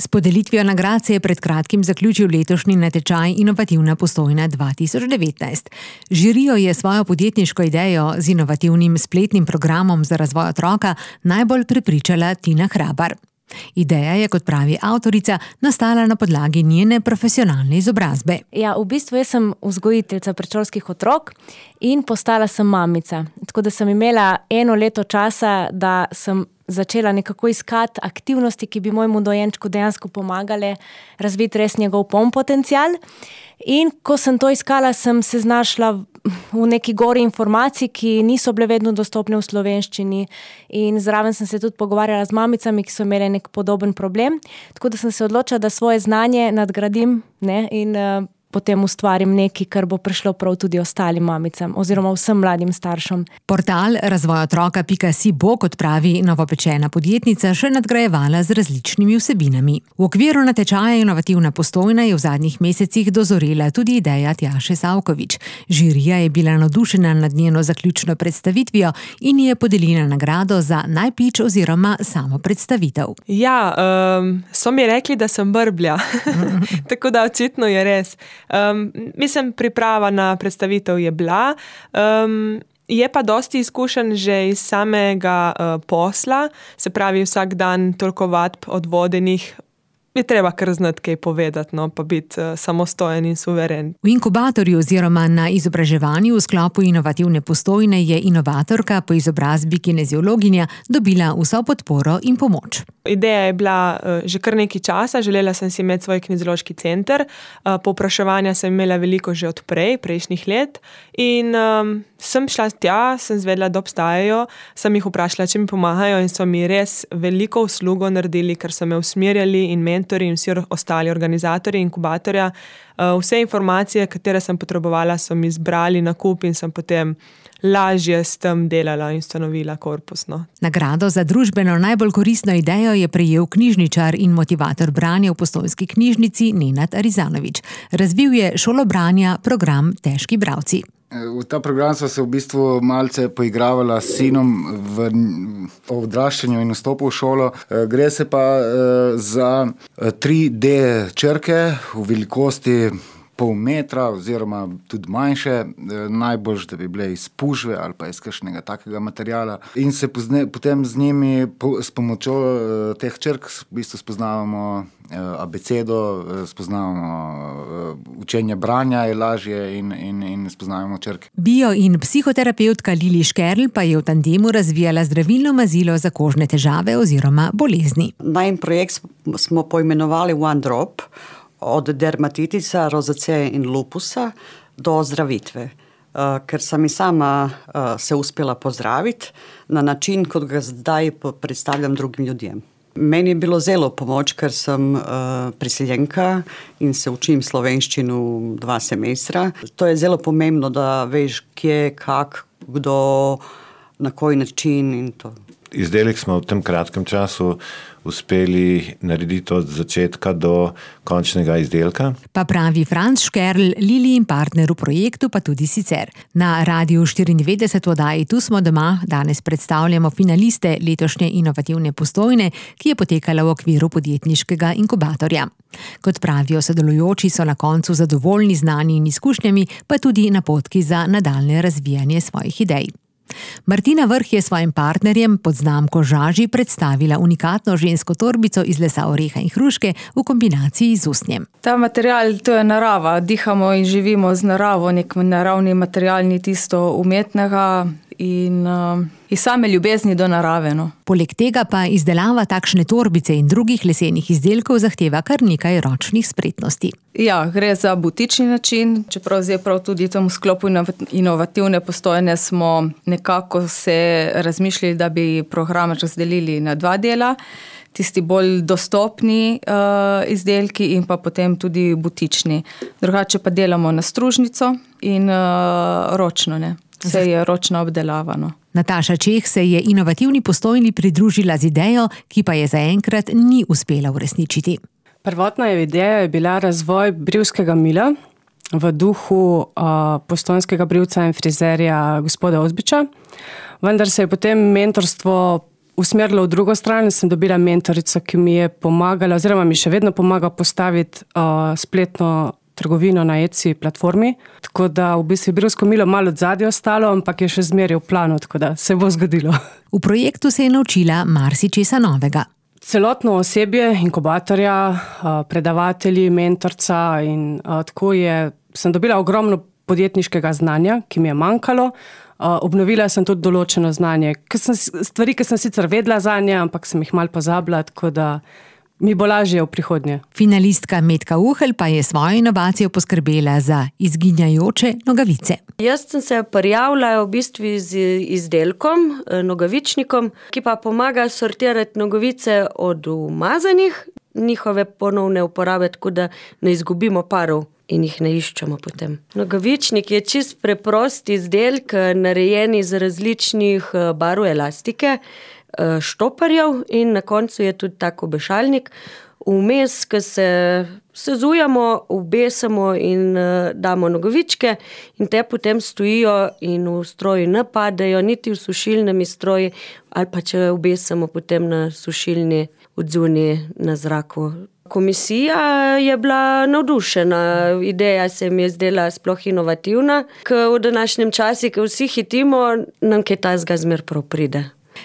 S podelitvijo nagrad se je pred kratkim zaključil letošnji natečaj Inovativna Postojna 2019. Žirijo je svojo podjetniško idejo z inovativnim spletnim programom za razvoj otroka najbolj prepričala Tina Hrabar. Ideja je, kot pravi avtorica, nastala na podlagi njene profesionalne izobrazbe. Ja, v bistvu jaz sem vzgojiteljica predšolskih otrok in postala sem mamica. Tako da sem imela 1 leto časa, da sem začela nekako iskati aktivnosti, ki bi mojemu dojenčku dejansko pomagale razviti res njegov poln potencial. In ko sem to iskala, sem se znašla v neki gori informacij, ki niso bile vedno dostopne v slovenščini, in zraven sem se tudi pogovarjala z mamicami, ki so imeli nek podoben problem. Tako da sem se odločila, da svoje znanje nadgradim, in potem ustvarim nekaj, kar bo prišlo prav tudi ostalim mamicam oziroma vsem mladim staršem. Portal razvojotroka.si bo, kot pravi novopečena podjetnica, še nadgrajevala z različnimi vsebinami. V okviru natečaja Inovativna Postojna je v zadnjih mesecih dozorela tudi ideja Tjaše Savkovič. Žirija je bila navdušena nad njeno zaključno predstavitvijo in je podelila nagrado za najpič oziroma samo predstavitev. Ja, so mi rekli, da sem brblja. Tako da očitno je res. Mislim, priprava na predstavitev je bila. Je pa dosti izkušenj že iz samega posla, se pravi vsak dan toliko vadb odvodenih, je treba kar znati kaj povedati, pa biti samostojen in suveren. V inkubatorju oziroma na izobraževanju v sklopu Inovativne Postojne je inovatorka po izobrazbi kineziologinja dobila vso podporo in pomoč. Ideja je bila že kar nekaj časa, želela sem si imeti svoj kineziološki center, povpraševanja sem imela veliko že od prejšnjih let in sem šla tja, sem zvedela, da obstajajo, sem jih vprašala, če mi pomagajo in so mi res veliko uslugo naredili, ker so me usmerjali in mentori in vsi ostali organizatorji inkubatorja. Vse informacije, katere sem potrebovala, so mi zbrali na kup in sem potem lažje s tem delala in ustanovila korpus. Nagrado za družbeno najbolj koristno idejo je prejel knjižničar in motivator branja v Postojnski knjižnici Nenad Arizanovič. Razvil je šolo branja program Težki bralci. V ta program sva se v bistvu malce poigravala s sinom v odraščanju in vstopu v šolo. Gre se pa za 3D črke v velikosti pol metra oziroma tudi manjše, najbolj, da bi bile iz pužve ali pa iz kakšnega takega materijala. In se potem z njimi, s pomočjo teh črk, v bistvu spoznavamo abecedo, spoznavamo učenje branja je lažje in spoznavamo črke. Bio- in psihoterapeutka Lili Škerl pa je v tandemu razvijala zdravilno mazilo za kožne težave oziroma bolezni. Najin projekt smo poimenovali One Drop, od dermatitisa, rozaceje in lupusa do zdravitve. Ker sem i sama se uspjela pozdraviti na način, kot ga zdaj predstavljam drugim ljudem. Meni je bilo zelo pomoč, ker sem priseljenka in se učim slovenščino 2 semestra. To je zelo pomembno, da veš kje, kak, kdo, na koji način in to. Izdelek smo v tem kratkem času uspeli narediti od začetka do končnega izdelka. Pa pravi Franc Škerl, Lili in partner v projektu, pa tudi sicer. Na Radiu 94 v oddaji Tu smo doma danes predstavljamo finaliste letošnje Inovativne Postojne, ki je potekala v okviru podjetniškega inkubatorja. Kot pravijo sodelujoči, so na koncu zadovoljni znanji in izkušnjami, pa tudi napotki za nadaljnje razvijanje svojih idej. Martina Vrh je svojim partnerjem pod znamko Žaži predstavila unikatno žensko torbico iz lesa oreha in hruške v kombinaciji z usnjem. Ta material, to je narava, dihamo in živimo z naravo, nek naravni material, ni tisto umetnega in iz same ljubezni do narave. Poleg tega pa izdelava takšne torbice in drugih lesenih izdelkov zahteva kar nekaj ročnih spretnosti. Ja, gre za butični način, čeprav zdaj prav tudi v tem sklopu Inovativne Postojne smo nekako se razmišljali, da bi program razdelili na 2 dela. Tisti bolj dostopni izdelki in pa potem tudi butični. Drugače pa delamo na stružnico in ročno, Vse je ročno obdelavano. Nataša Čeh se je Inovativni Postojni pridružila z idejo, ki pa je zaenkrat ni uspela uresničiti. Prvotna ideja je bila razvoj brivskega mila v duhu postojnskega brivca in frizerja gospoda Ozbiča, vendar se je potem mentorstvo usmerila v drugo stran, sem dobila mentorico, ki mi je pomagala, oziroma mi še vedno pomaga postaviti spletno trgovino na Etsy platformi. Tako da v bistvu je brivsko milo malo odzadje ostalo, ampak je še zmeraj v planu, tako da se bo zgodilo. V projektu se je naučila marsičesa novega. Celotno osebje inkubatorja, predavatelji, mentorca in tako sem dobila ogromno podjetniškega znanja, ki mi je manjkalo. Obnovila sem tudi določeno znanje. Stvari, ki sem sicer vedela zanje, ampak sem jih malo pozabila, tako da mi bo lažje v prihodnje. Finalistka Metka Uhelj pa je svojo inovacijo poskrbela za izginjajoče nogavice. Jaz sem se prijavila v bistvu z izdelkom, nogavičnikom, ki pa pomaga sortirati nogavice od umazanih, njihove ponovne uporabe, tako da ne izgubimo parov in jih ne iščemo potem. Nogavičnik je čist preprost izdelek, narejen iz različnih barv elastike, štoparjev in na koncu je tudi tak obešalnik. Vmes, ko se sezujemo, obesamo in damo nogavičke in te potem stojijo in v stroju ne padejo, niti v sušilnem stroju, ali pa če obesamo potem na sušilni odzuni na zraku. Komisija je bila navdušena, ideja se mi je zdela sploh inovativna, ker v današnjem času, ko vsi hitimo, nam kaj tazga zmer prav pride.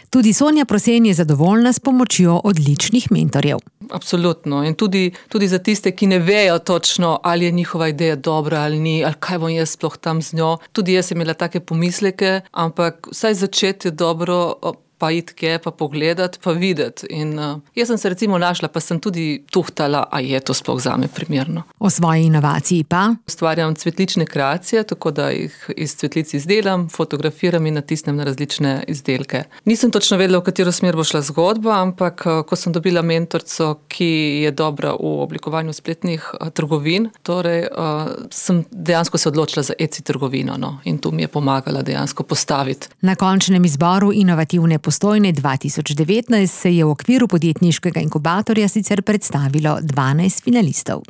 Tudi Sonja Prosen je zadovoljna s pomočjo odličnih mentorjev. Absolutno. In tudi za tiste, ki ne vejo točno, ali je njihova ideja dobra ali ni, ali kaj bom jaz sploh tam z njo. Tudi jaz sem imela take pomisleke, ampak vsaj začeti je dobro, pa iti kje, pa pogledati, pa videti. In jaz sem se recimo našla, pa sem tudi tuhtala, a je to sploh zame primerno. O svoji inovaciji pa? Ustvarjam cvetlične kreacije, tako da jih iz cvetlic izdelam, fotografiram in natisnem na različne izdelke. Nisem točno vedela, v katero smer bo šla zgodba, ampak ko sem dobila mentorico, ki je dobra v oblikovanju spletnih trgovin, torej sem dejansko se odločila za Etsy trgovino, no, in tu mi je pomagala dejansko postaviti. Na končnem izboru inovativne Postojne 2019 se je v okviru podjetniškega inkubatorja sicer predstavilo 12 finalistov.